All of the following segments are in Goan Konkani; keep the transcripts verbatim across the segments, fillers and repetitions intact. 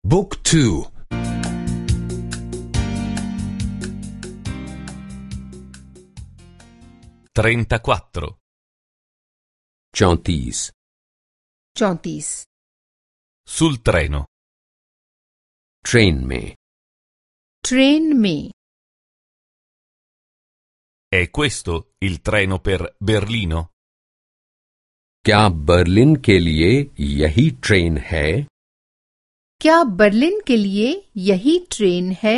Book two. trentaquattro. चौंतीस. चौंतीस. Sul treno. Train में. ट्रेन में. È questo il treno per Berlino? क्या बर्लिन के लिए यही ट्रेन है? क्या बर्लिन के लिए यही ट्रेन है?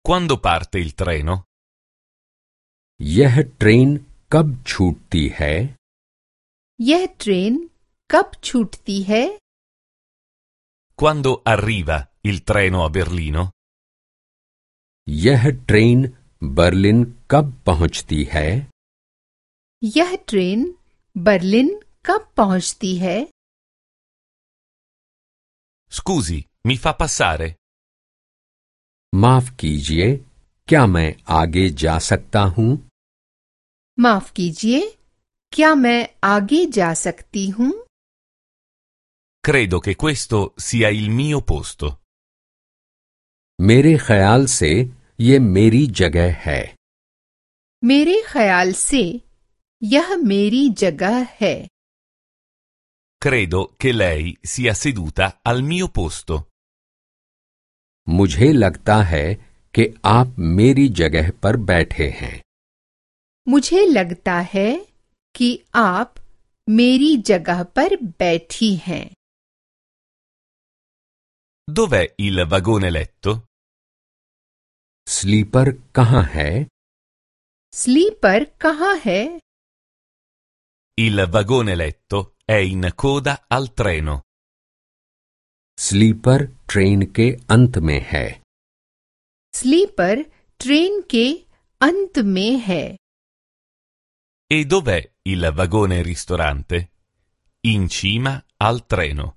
Quando parte il treno? यह ट्रेन कब छूटती है? यह ट्रेन कब छूटती है? Quando arriva il treno a Berlino? यह ट्रेन बर्लिन कब पहुंचती है? यह ट्रेन बर्लिन कब पहुंचती है? Scusi, mi fa passare? माफ कीजिए, क्या मैं आगे जा सकता हूँ? माफ कीजिए, क्या मैं आगे जा सकती हूँ? Credo che questo sia il mio posto. मेरे ख्याल से ये मेरी जगह है. मेरे ख्याल से यह मेरी जगह है. Credo che lei sia seduta al mio posto. मुझे लगता है कि आप मेरी जगह पर बैठे हैं. मुझे लगता है कि आप मेरी जगह पर बैठी हैं. Dov'è il vagone letto? Sleeper कहाँ है? स्लीपर कहाँ है? Il vagone letto è in coda al treno. Sleeper train K अंत में है. स्लीपर ट्रेन के अंत में है. E dov'è il vagone ristorante? In cima al treno.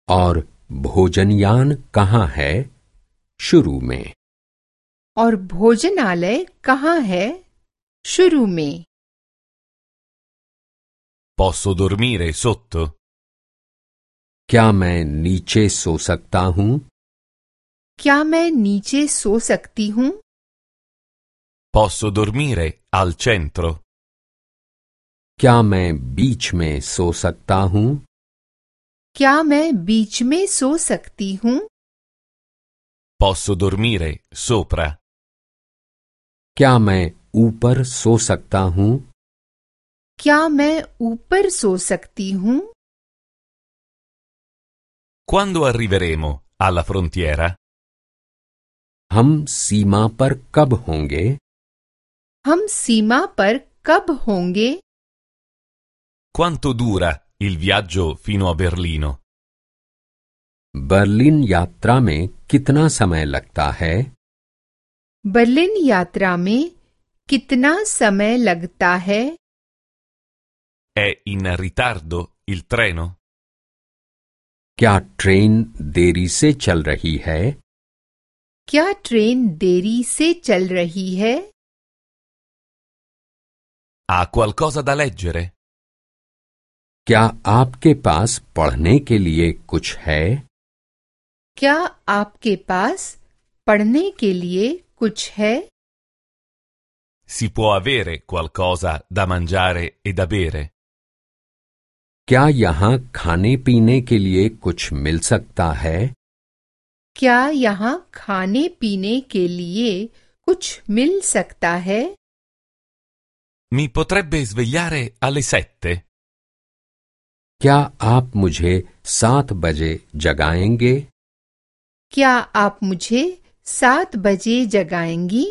और भोजनयान कहाँ है? शुरू में. और भोजनालय कहाँ है? शुरू में. Posso dormire sotto? क्या मैं नीचे सो सकता हूँ? क्या मैं नीचे सो सकती हूँ? Posso dormire al centro? क्या मैं बीच में सो सकता हूँ? क्या मैं बीच में सो सकती हूँ? Posso dormire sopra? क्या मैं ऊपर सो सकता हूँ? क्या मैं ऊपर सो सकती हूँ? Quando arriveremo alla frontiera? हम सीमा पर कब होंगे? हम सीमा पर कब होंगे? Quanto dura il viaggio fino a Berlino? Berlin यात्रा में कितना समय लगता है? बर्लिन यात्रा में कितना समय लगता है? È in ritardo il treno? क्या ट्रेन देरी से चल रही है? क्या ट्रेन देरी से चल रही है? Ha qualcosa da leggere? क्या आपके पास पढ़ने के लिए कुछ है? क्या आपके पास पढ़ने के लिए कुछ है? Si può avere qualcosa da mangiare e da bere? क्या यहाँ खाने पीने के लिए कुछ मिल सकता है? क्या यहाँ खाने पीने के लिए कुछ मिल सकता है? Mi potrebbe svegliare alle sette? क्या आप मुझे सात बजे जगाएंगे? क्या आप मुझे सात बजे जगाएंगी?